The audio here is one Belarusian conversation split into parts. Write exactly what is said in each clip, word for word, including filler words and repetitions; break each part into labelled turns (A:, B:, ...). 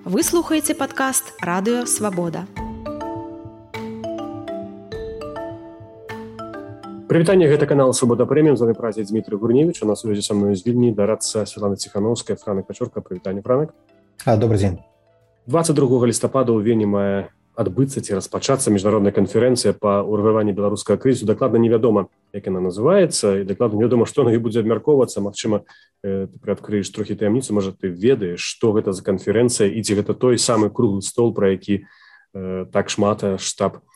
A: Вы слухаеце падкаст Радыё Свабода.
B: Прывітанне, гэта канал Свабода Прэміум, з вами працуе Дмітрий Гурневич, у нас сувязі са мной з Вільні дарадца Святлана Ціхановская, Франак Пачорка. Прывітанне, Франак.
C: А, добрый дзень.
B: двадцать другого лістапада ў Вені мае адбыцца ці распачацца міжнародная канферэнцыя па ўрэгуляванні беларускага крызісу. Дакладна невядома, як яна называецца, і дакладна невядома, што на ёй будзе абмяркоўвацца. Магчыма, э, ты прыадкрыеш трохі таямніцу, можа, ты ведаеш, што гэта за канферэнцыя, і ці гэта той самы круглы стол, пра які э, так шмат штаб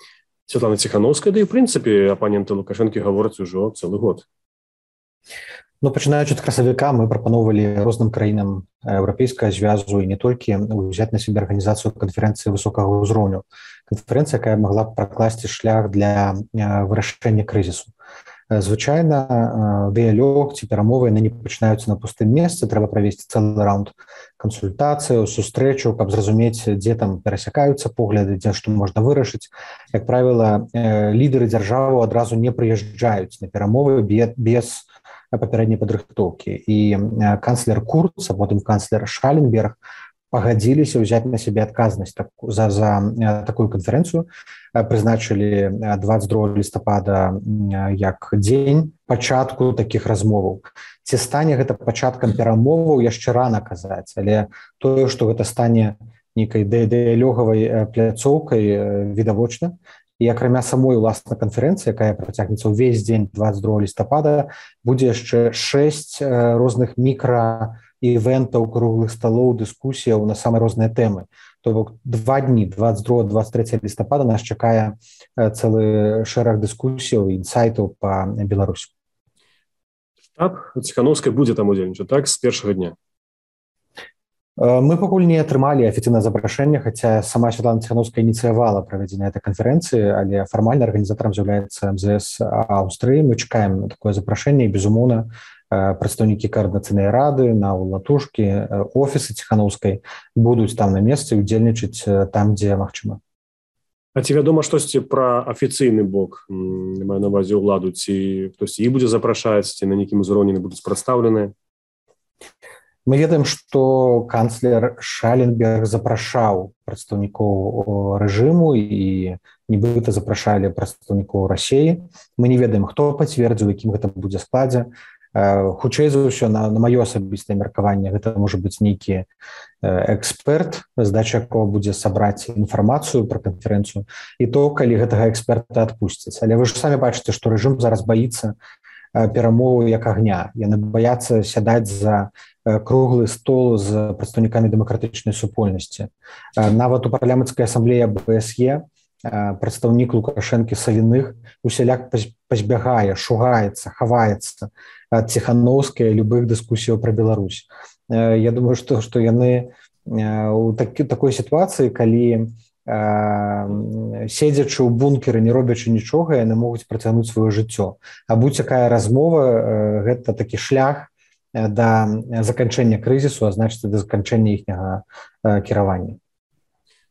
B: Святлана Ціхановская, да і, в прынцыпе, апаненты Лукашэнкі гавораць ужо цэлы год.
C: Ну, пачынаючы ад красавіка, мы прапановвалі розным краінам еўрапейскага звязу і не толькі ўзяць на сябе арганізацыю канферэнцыі высокага ўзроўню. Канферэнцыя, якая магла б пракласці шлях для вырашэння крызісу. Звычайна, дыялог ці перамовы яны не пачынаюцца на пустым месцы, трэба правесці цэлы раунд кансультацыяў, сустрэчаў, каб зразумець, дзе там перасякаюцца погляды, дзе што можна вырашыць. Як правіла, лідары дзяржавы адразу не прыязджаюць на перамовы без папярэдняй падрыхтоўкі. І канцлер Курц, а потым канцлер Шаленберг пагадзіліся ўзяць на сябе адказнасць за, за такую канферэнцыю, прызначылі двадцать другого лістапада як дзень пачатку такіх размоваў. Ці стане гэта пачаткам перамоваў, яшчэ рана казаць, але тое, што гэта стане нейкай дыялогавай пляцоўкай, відавочна. І акрамя самой уласна канферэнцыі, якая працягнецца ўвесь дзень двадцать другого лістапада, будзе яшчэ шэсць розных мікра-івентаў, круглых сталоў, дыскусіяў на самыя розныя тэмы. То бок два дні, двадцать другого двадцать трэцяга лістапада, нас чакае цэлы шэраг дыскусіяў і інсайтаў па Беларусі.
B: Штаб Ціхановскай будзе там удзельнічаць, так, з першага дня?
C: Мы пакуль не атрымалі афіцыйнае запрашэнне, хаця сама Святлана Ціхановская ініцыявала правядзенне этой канферэнцыі, але фармальна арганізатарам з'яўляецца эм зэ эс Аўстрыі. Мы чакаем на такое запрашэнне, і, безумоўна, прадстаўнікі каардынацыйнай рады, наўлатушкі, офісы Ціхановскай будуць там на месцы удзельнічаць там, дзе магчыма.
B: А ці вядома штосьці пра афіцыйны бок, маю на ўвазе ўладу, ці хтосьці іх будзе запрашаць, ці на нейкім узроўні будуць прадстаўленыя?
C: Мы ведаем, што канцлер Шаленберг запрашаў прадстаўнікоў рэжыму і нібыта запрашалі прадстаўнікоў Расіі. Мы не ведаем, хто пацвердзіў, якім гэта будзе складзе. Хутчэй за ўсё, на, на маё асабістае меркаванне, гэта можа быць нейкі эксперт, задача якога будзе сабраць інфармацыю пра канферэнцыю, і то, калі гэтага эксперта адпусцяць. Але вы ж самі бачыце, што рэжым зараз баіцца перамовы як агня. Яны баяцца сядаць за круглы стол з прадстаўнікамі дэмакратычнай супольнасці. Нават у парламенцкай асамблеі бэ эс е прадстаўнік Лукашэнкі Савіных усяляк пазбягае, шугаецца, хаваецца ад Ціхановскай любых дыскусіяў пра Беларусь. Я думаю, што, што яны у такі, такой сітуацыі, калі седзячы ў бункеры, не робячы нічога, яны могуць працягнуць сваё жыццё. А будь якая размова, гэта такі шлях да заканчэння крызісу, а значыць, да заканчэння іхняга кіравання.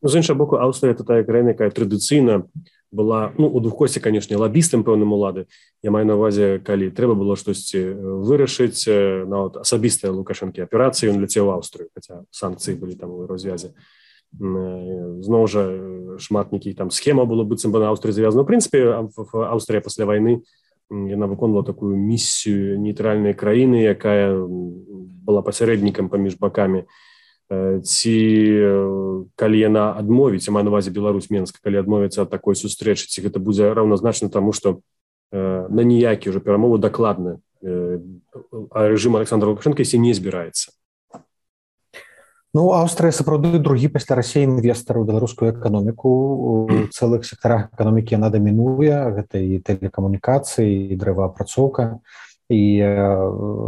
B: Ну, з іншага боку, Аўстрыя – тая краіна, якая традыцыйна была, ну, у двухкосці, канешне, лабістам пэўным улады. Я маю на ўвазе, калі трэба было штосьці вырашыць, нават асабістыя Лукашэнкі аперацыі, ён ляцеў у Аўстрыю, хаця санкцыі былі там у развязе. Зноў жа шмат нейкіх там схема было быццам бы на Аўстрыі завязана. В прынцыпе, Аўстрыя пасля вайны яна выконвала такую місію нейтральнай краіны, якая была пасярэднікам паміж бакамі. Ці калі яна адмовіць, я маю на ўвазе Беларусь, Менск, калі адмовіцца ад такой сустрэчы, ці гэта будзе раўназначна таму, што на ніякія ўжо перамовы дакладна рэжым Александра Лукашэнка ісці не збіраецца.
C: Ну, Аўстрыя сапраўды другі пасля Расіі інвестар у беларускую эканоміку. У цэлых сектарах эканомікі яна дамінуе, гэта і тэлекамунікацыі, і дрэваапрацоўка, і э,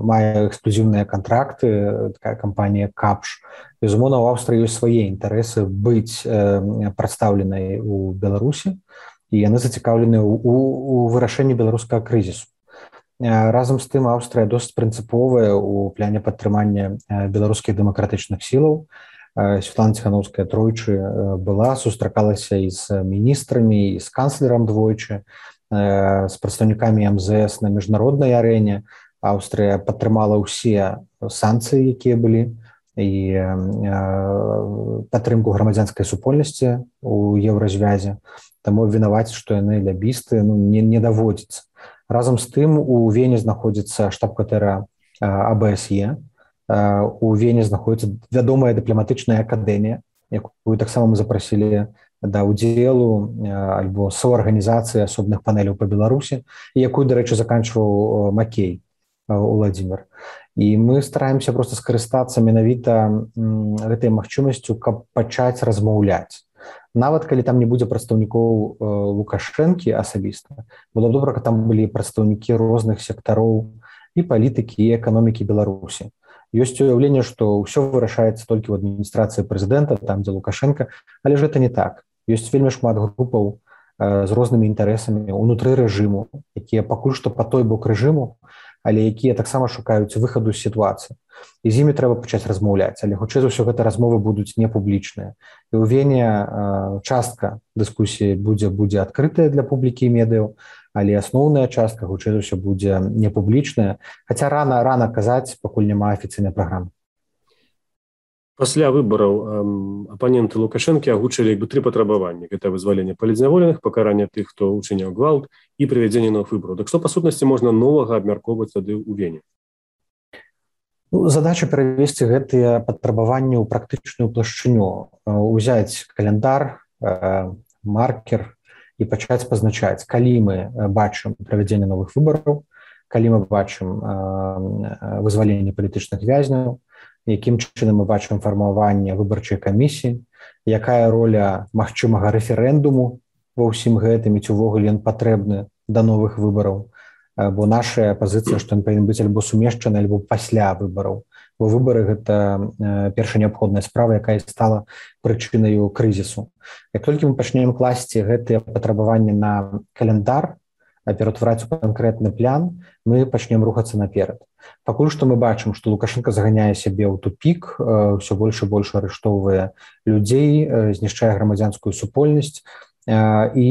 C: мае эксклюзіўныя кантракты, такая кампанія Капш. Безумоўна, у Аўстрыі ёсць свае інтарэсы быць э, прадстаўленай у Беларусі, і яны зацікаўлены ў, у, у вырашэнні беларускага крызісу. Разам з тым, Аўстрыя досыць прынцыповая ў пляне падтрымання беларускіх дэмакратычных сілаў. Святлана Ціхановская тройчы была, сустракалася і з міністрамі, і з канцлерам двойчы, з прадстаўнікамі эм зэ эс на міжнароднай арэне. Аўстрыя падтрымала ўсе санкцыі, якія былі і падтрымку грамадзянскай супольнасці у еўразвязе. Таму абвінаваціць, што яны лябісты, ну, не, не даводзіцца. Разам з тым у Вене знаходзіцца штаб-кватэра А Б С Е. У Вене знаходзіцца вядомая дыпламатычная акадэмія, якую таксама мы запрасілі да ўдзелу альбо саўарганізацыі асобных панеляў па Беларусі, якую, дарэчы, заканчваў Макей Уладзімир. І мы стараемся проста скарыстацца менавіта гэтай магчымасцю, каб пачаць размаўляць. Нават калі там не будзе прадстаўнікоў Лукашэнкі асабіста, было б добра, каб там былі прадстаўнікі розных сектароў і палітыкі, і эканомікі Беларусі. Ёсць уяўленне, што ўсё вырашаецца толькі ў адміністрацыі прэзідэнта, там, дзе Лукашенко, але ж гэта не так. Ёсць вельмі шмат групаў з рознымі інтарэсамі ўнутры рэжыму, якія пакуль што па той бок рэжыму, але якія таксама шукаюць выхаду з сітуацыі. І з імі трэба пачаць размаўляць, але хутчэй за ўсё гэта размовы будуць непублічныя. І ў Вене частка дыскусіі будзе, будзе адкрытая для публікі і медыяў, але асноўная частка хутчэй за ўсё будзе непублічная, хаця рана рана казаць, пакуль няма афіцыйнай праграмы.
B: Пасля выбараў апаненты Лукашэнкі агучылі як бы тры патрабаванні. Гэта вызваленне палітзняволеных, пакаранне тых, хто ўчыняў гвалт і правядзенне новых выбараў. Так што, па сутнасці, можна новага абмяркоўваць тады ў Вене?
C: Ну, задача перавесці гэтыя патрабаванні ў практычную плашчыню, узяць каляндар, маркер і пачаць пазначаць, калі мы бачым правядзенне новых выбараў, калі мы бачым вызваленне палітычных вязняў, якім чынам мы бачым фармаванне выбарчай камісіі, якая роля магчымага рэферэндуму ва ўсім гэтым, і ці ўвогуле ён патрэбны да новых выбараў, бо наша пазіцыя, што ён павінен быць альбо сумешчаны, альбо пасля выбараў, бо выбары гэта першая неабходная справа, якая стала прычынаю крызісу. Як толькі мы пачнем класці гэтыя патрабаванні на каляндар, ператвараць у канкрэтны план, мы пачнем рухацца наперад. Пакуль што мы бачым, што Лукашенко заганяе сябе ў тупік, ўсё больш і больш арыштоўвае людзей, знішчае грамадзянскую супольнасць і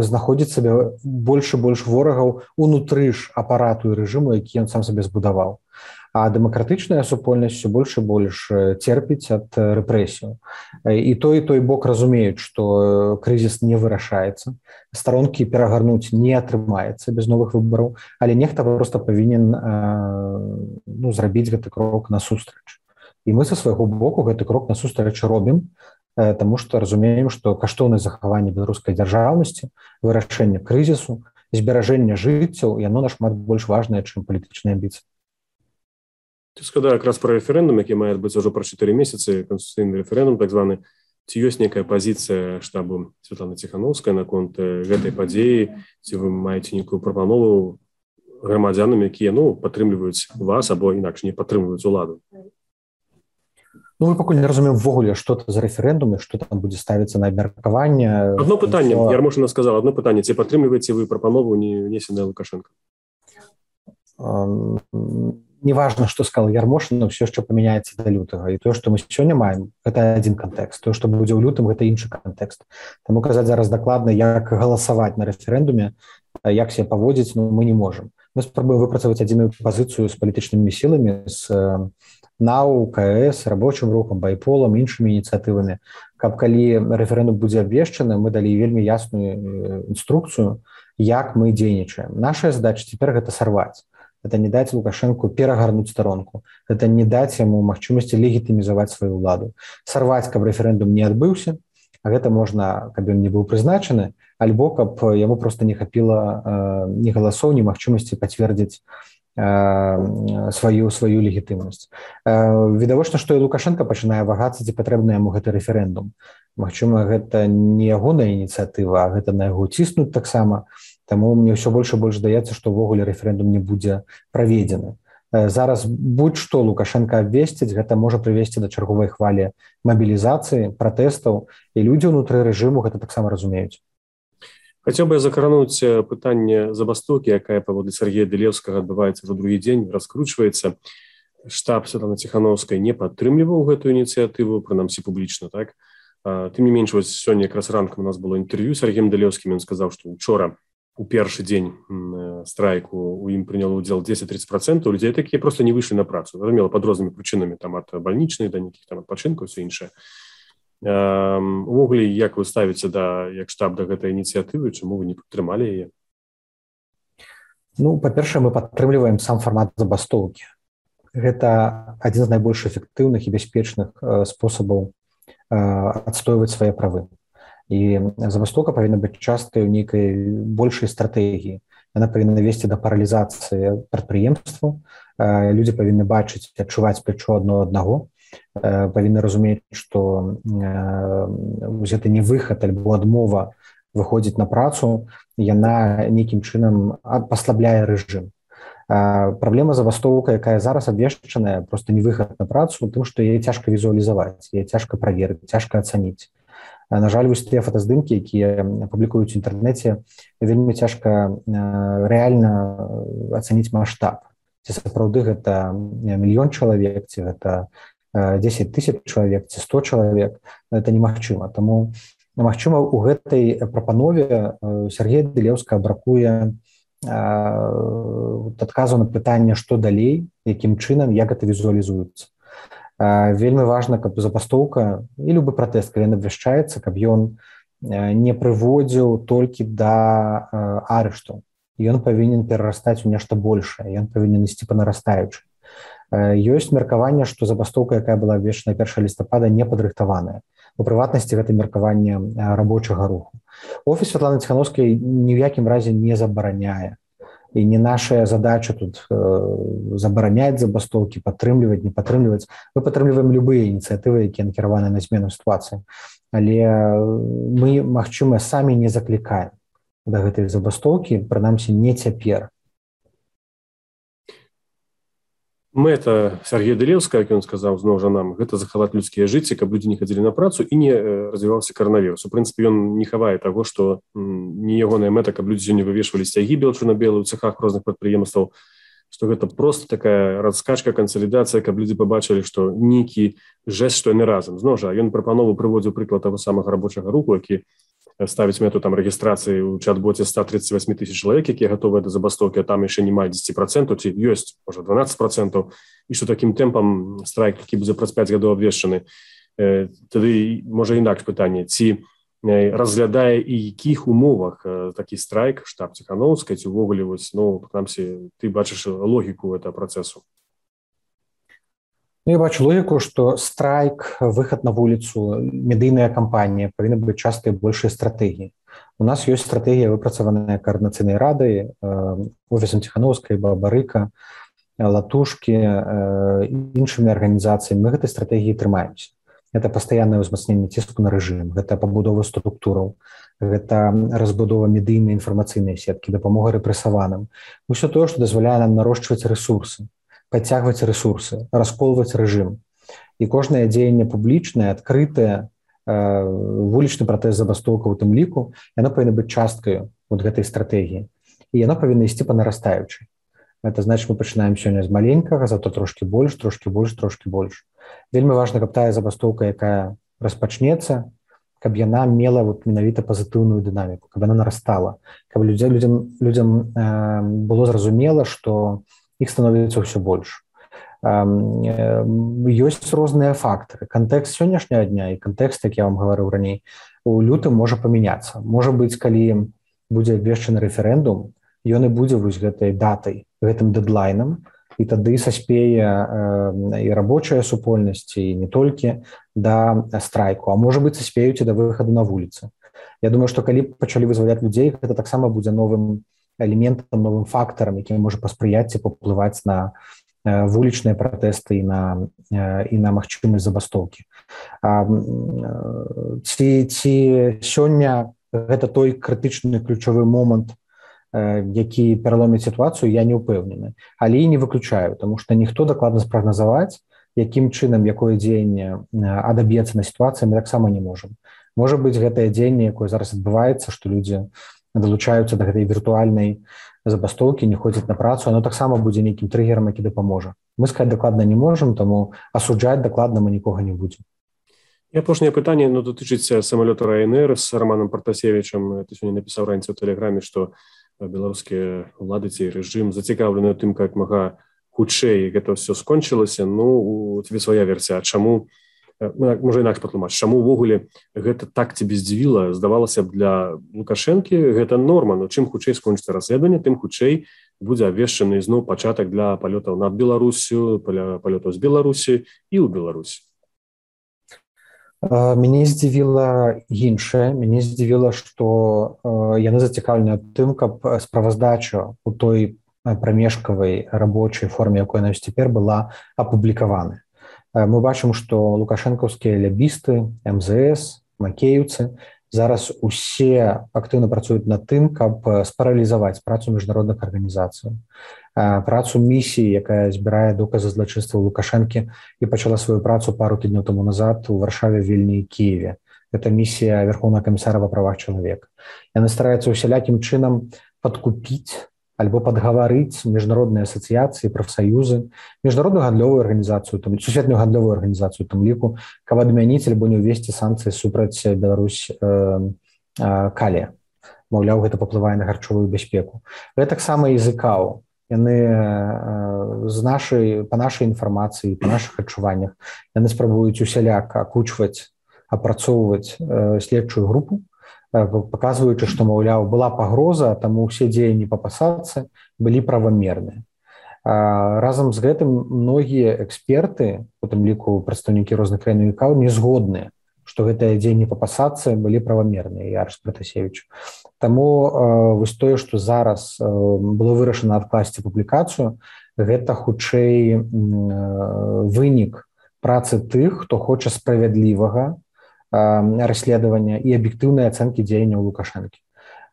C: знаходзіць сабе больш і больш ворагаў унутры ж апарату і рэжыму, які ён сам сабе збудаваў. А дэмакратычная супольнасць усё больш і больш церпіць ад рэпрэсіяў. І той, і той бок разумеюць, што крызіс не вырашаецца, старонкі перагарнуць не атрымаецца без новых выбараў, але нехта проста павінен ну, зрабіць гэты крок насустрач. І мы са свайго боку гэты крок насустрач робім, таму што разумеем, што каштоўнасць захавання беларускай дзяржаўнасці, вырашэння крызісу, зберажэння жыццяў, яно нашмат больш важнае, чым палітычныя амбіцыі.
B: Ты сказаў якраз пра рэферэндум, які мае адбыцца ўжо пра чатыры месяцы, канстытуцыйны рэферэндум, так званы. Ці ёсць нейкая пазіцыя штабу Святланы Ціханаўскай наконт гэтай падзеі, ці вы маеце нейкую прапанову грамадзянам, якія ну, падтрымліваюць вас або інакш не падтрымліваюць уладу?
C: Ну, мы пакуль не разумеем ввогуле, што это за рэферэндум і што там будзе ставіцца на абмеркаванне.
B: Адно пытанне, то... Ярмошына сказала, адно пытанне, ці падтрымліваеце вы прапанову, не внесеная Лукашенко?
C: Um... Неважно, што сказал Ярмошына, ўсё яшчэ памяняецца да лютага. І тое, што мы сёння маем, гэта адзін кантэкст. Тое, што будзе ў лютым, гэта іншы кантэкст. Таму казаць зараз дакладна, як галасаваць на рэферэндуме, як себе паводзіць, ну, мы не можам. Мы спрабуем выпрацаваць адзіную пазіцыю з палітычнымі сіламі, з НАУ, КС, рабочым рухам, байполам, іншымі ініцыятывамі, каб калі рэферэндум будзе абвешчаны, мы далі вельмі ясную інструкцыю, як мы дзейнічаем. Наша задача цяпер гэта сарваць. Это не даць Лукашенку перагарнуць старонку. Это не даць яму магчымасці легітымізаваць сваю ўладу. Сарваць, каб рэферэндум не адбыўся, а гэта можна, каб ён не быў прызначаны, альбо каб яму проста не хапіла э, ні галасоў, ні магчымасці пацвердзіць э, сваю, сваю легітымнасць. Э, відавочна, што і Лукашенко пачынае вагацца, ці патрэбны яму гэты рэферэндум. Магчыма, гэта не ягоная ініцыятыва, а гэта на яго ціснуць таксама. Таму мне ўсё больш і больш здаецца, што ўвогуле рэферэндум не будзе праведзены. Зараз будь-што Лукашенко абвесціць, гэта можа прывесці да чарговай хвалі мабілізацыі, пратэстаў, і людзі ўнутры рэжыму гэта таксама разумеюць.
B: Хацеў бы я закрануць пытанне забастоўкі, якая паводле Сергея Дылеўскага адбываецца ўжо другі дзень, раскручваецца. Штаб Святланы Ціханаўскай не падтрымліваў гэтую ініцыятыву, прынамсі публічна, так? Тым не менш, вось сёння якраз ранкам у нас было інтэрв'ю з Сергеем Дылеўскім, ён сказаў, што учора у першы дзень страйку у ім прыняло ўдзел дзесяць-тридцать процентаў людзей, такія просто не выйшлі на працу, зразумела, пад рознымі прычынамі, там ад бальнічнай да нейкіх там адпачынкаў, все іншае. Увогуле, як вы ставіце да як штаб да гэтай ініцыятывы, чаму вы не падтрымалі яе?
C: Ну, па-першае, мы падтрымліваем сам фармат забастоўкі. Гэта адзін з найбольш эфектыўных і бяспечных спосабаў адстойваць свае правы. І забастоўка павінна быць часткай у нейкай большай стратэгіі. Яна павінна весці да паралізацыі прадпрыемстваў. Людзі павінны бачыць, адчуваць плячо адно аднаго. Павінны разумець, што гэта не выхад альбо адмова выходзіць на працу, яна нейкім чынам паслабляе рэжым. Праблема забастоўка, якая зараз абвешчаная, проста не выхад на працу, тым, што яе цяжка візуалізаваць, яе цяжка праверыць, цяжка ацаніць. На жаль, вось тыя фотаздымкі, якія публікуюць у інтэрнэце, вельмі цяжка рэальна ацаніць маштаб. Ці сапраўды гэта мільён чалавек, ці гэта дзесяць тысяч чалавек, ці сто чалавек, гэта немагчыма. Таму, магчыма, у гэтай прапанове Сергея Дылеўскага бракуе адказу на пытанне, што далей, якім чынам, як гэта візуалізуецца. Вельмі важна, каб забастоўка і любы пратэст, калі ён абвяшчаецца, каб ён не прыводзіў толькі да арышту. Ён павінен перарастаць у нешта большае, ён павінен ісці па нарастаючай. Ёсць меркаванне, што забастоўка, якая была абвешчана першага лістапада, не падрыхтаваная. У прыватнасці гэта меркаванне рабочага руху. Офіс Святланы Ціхановскай ні ў якім разе не забараняе. І не наша задача тут забараняць забастоўкі, падтрымліваць, не падтрымліваць. Мы падтрымліваем любыя ініцыятывы, якія накіраваны на змену сітуацыі. Але мы, магчыма, самі не заклікаем да гэтай забастоўкі, прынамсі, не цяпер.
B: Мэта Сергея Дылеўскага, як ён сказаў, зноў жа нам, гэта захаваць людскія жыцці, каб людзі не хадзілі на працу і не развіваўся каранавірус. У прынцыпе, ён не хавае таго, што не ягоная мэта, каб людзі сёння вывешвалі сцягі белчу-на-белы ў цэхах розных прадпрыемстваў, што гэта проста такая раскачка, кансалідацыя, каб людзі пабачылі, што нейкі жэст, што яны разам. Зноў жа, ён прапанову прыводзіў прыклад таго самага рабочага руху, які ставіць мэту там рэгістрацыі ў чат-боце сто тридцать восемь тысяч чалавек, якія гатовыя да забастоўкі, а там яшчэ не мае дзесяць процентаў, ці ёсць, можа, дванаццаць процентаў, і што такім тэмпам страйк, які будзе праз пяць гадоў абвешчаны. Тады, можа, інакш пытанне, ці разглядае і якіх умовах такі страйк штаб Ціхановскай, ці ўвогуле, вось, ну, прынамсі, ты бачыш логіку гэтага працэсу?
C: Ну, я бачу логіку, што страйк, выхад на вуліцу, медыйная кампанія павінна быць часткай большай стратэгіі. У нас ёсць стратэгія, выпрацаваная каардынацыйнай радай, офісам Ціхановскай, Бабарыка, Латушкі, іншымі арганізацыямі. Мы гэтай стратэгіі трымаемся. Гэта пастаяннае ўзмацненне ціску на рэжым, гэта пабудова структураў, гэта разбудова медыйнай інфармацыйнай сеткі, дапамога рэпрэсаваным. Усё тое, што дазваляе нам нарошчваць рэсурсы, подцягваць рэсурсы, расколваць рэжым. І кожнае дзеянне публічнае, адкрытае, вулічны пратэст забастоўка ў тым ліку, яно павінна быць часткаю вот гэтай стратэгіі. І яно павінна ісці па нарастаючай. Гэта значыць, мы пачынаем сёння з маленькага, зато трошкі больш, трошкі больш, трошкі больш. Вельмі важна, каб тая забастоўка, якая распачнецца, каб яна мела вот менавіта пазітыўную дынаміку, каб яна нарастала, каб людзям, людзям, людзям э, было зразумела, што іх становіцца ўсё больш. Ёсць розныя фактары. Кантэкст сённяшняга дня і кантэкст, як я вам гаварыў раней, у лютым можа памяняцца. Можа быць, калі будзе абвешчаны рэферэндум, ён і будзе вось гэтай датай, гэтым дэдлайнам, і тады саспее і рабочая супольнасць, і не толькі да страйку, а можа быць, саспеюць і да выхаду на вуліцы. Я думаю, што калі пачалі вызваляць людзей, гэта таксама будзе новым элементам, новым фактарам, які можа паспрыяць і паўплываць на вулічныя пратэсты і на, і на магчымасць забастоўкі. Ці, ці сёння гэта той крытычны ключавы момант, які пераломіць сітуацыю, я не ўпэўнены. Але і не выключаю, таму што ніхто дакладна спрагназаваць, якім чынам, якое дзеянне адаб'ецца на сітуацыі, мы таксама не можам. Можа быць, гэтае дзеянне, якое зараз адбываецца, што людзі далучаюцца да гэтай віртуальнай забастоўкі, не ходзяць на працу, оно таксама будзе нейкім трыгерам, які дапаможа. Мы сказаць дакладна не можам, таму асуджаць дакладна мы нікога не будзем.
B: І апошняе пытанне, ну, датычыцца самалёта Ryanair з Романом Партасевічам. Ты сёння напісаў раніцай у тэлеграме, што беларускія ўлады ці рэжым зацікаўлены тым, как мага хутчэй гэта ўсё скончылася. Ну, у тебе свая версія, а чаму, можа інакш патлумач, чаму ўвогуле гэта так тебе здзівіла? Здавалася б, для Лукашэнкі гэта норма, но чым хутчэй скончыцца расследаванне, тым хутчэй будзе абвешчаны зноў пачатак для палётаў над Беларусю, палётаў з Беларусі і ў Беларусі.
C: Мяне здзівіла іншае. Мяне здзівіла, што яны зацікаўлены тым, каб справаздача у той прамежкавай рабочай форме, якой яна цяпер была апублікавана. Мы бачым, што лукашэнкаўскія лябісты, эм зэ эс, макеевцы зараз усе актыўна працуюць над тым, каб спаралізаваць працу міжнародных арганізацый. Працу місіі, якая збірае доказы злачынства Лукашэнкі і пачала сваю працу пару тыдняў таму назад у Варшаве, Вільні і Кіеве. Гэта місія Верховнага камісара па правах чалавека. Яны стараюцца усялякім чынам падкупіць альбо падгаварыць міжнародныя асацыяцыі, прафсаюзы, міжнародную гандлёвую арганізацыю, там, сусветную гандлёвую арганізацыю, там ліку, каб адмяніць альбо не ўвесці санкцыі супраць Беларусь э, э, калія. Маўляў, гэта паплывае на харчовую бяспеку. Гэта таксама і з ікао. Яны з нашай, па нашай інфармацыі, па нашых адчуваннях, яны спрабуюць усяляк акучваць, апрацоўваць э, следчую групу, э, паказваючы, што, маўляў, была пагроза, таму ўсе дзеянні па пасадцы былі правамерныя. Э, разам з гэтым многія эксперты, у тым ліку прадстаўнікі розных краінаў ікао, не згодныя, што гэтыя дзеянні па пасадцы былі правамерныя, Яраш Пратасевіч. Таму э, вось тое, што зараз э, было вырашана адкласці публікацыю, гэта хутчэй э, вынік працы тых, хто хоча справядлівага э, расследавання і аб'ектыўнай ацэнкі дзеянняў Лукашэнкі.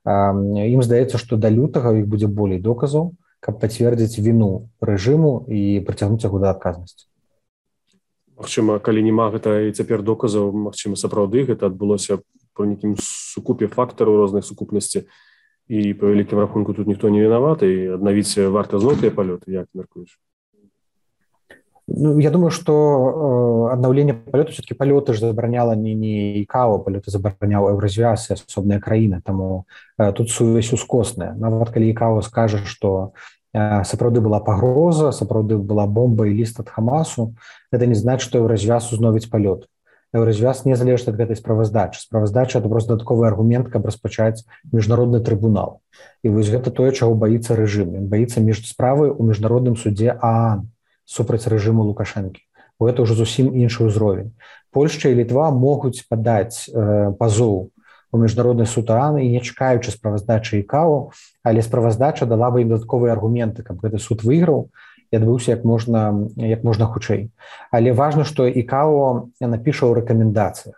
C: Э, ім здаецца, што да лютага іх будзе болей доказаў, каб пацвердзіць віну рэжыму і прыцягнуць яго да адказнасці.
B: Магчыма, калі няма гэта і цяпер доказаў, магчыма, сапраўды гэта адбылося по нейкім сукупе фактараў розных сукупнасці і па вялікім рахунку тут ніхто не вінаваты і аднавіць варта зноў тыя палёты, як мяркуеш?
C: Ну, я думаю, што э, аднаўленне палёту, все-таки палёты ж забараняла не, не ікао, палёты забараняў Еўразвяз і асобныя краіны, таму э, тут сувязь ускосная. Нават калі ікао скажа, што э, сапраўды была пагроза, сапраўды была бомба і ліст ад Хамасу, гэта не значыць, што Еўразвяз узновіць палёт. Еўразвяз не залежыць ад гэтай справаздачы. Справаздача – это просто дадатковы аргумент, каб распачаць міжнародны трыбунал. І вось гэта тое, чаго баіцца рэжым. Ён баіцца між справы ў міжнародным судзе ААН супраць рэжыму Лукашэнкі. Гэта ўжо зусім іншы ўзровень. Польшча і Літва могуць падаць э, пазоў у міжнародны суд ААН і не чакаючы справаздачы ікао, але справаздача дала бы ім дадатковыя аргументы, каб гэты суд выйграў і адбыўся як можна, як можна хутчэй. Але важна, што ікао напіша ў рэкамендацыях.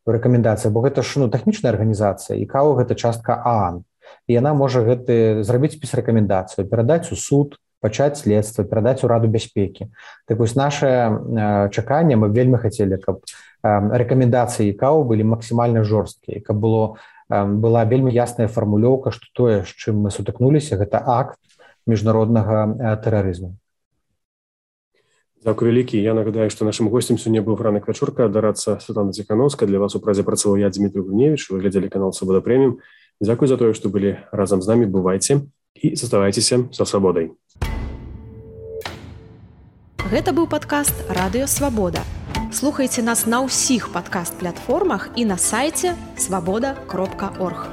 C: У рэкамендацыях, бо гэта ж ну, тэхнічная арганізацыя, ікао гэта частка ААН. І яна можа гэты зрабіць спіс рэкамендацыю, перадаць у суд, пачаць следства, перадаць у Раду бяспекі. Так вось наше э, чаканне, мы вельмі хацелі, каб э, рэкамендацыі ікао былі максімальна жорсткія, каб было, э, была вельмі ясная фармулёўка, што тое, з чым мы сутыкнуліся, гэта акт міжнароднага э, тэрарызму.
B: Дзякуй вялікі. Я нагадаю, што нашым госцем сёння быў ранак вячорка, дарацца Святлана Ціхановская. Для вас у празе працаваў я, Дмітрий Гриневич. Вы глядзелі канал Свабода Прэміум. Дзякуй за тое, што былі разам з намі. Бывайце і заставайцеся са свабодай.
A: Гэта быў падкаст «Радыё Свабода». Слухайце нас на ўсіх падкаст-платформах і на сайце свабода кропка орг.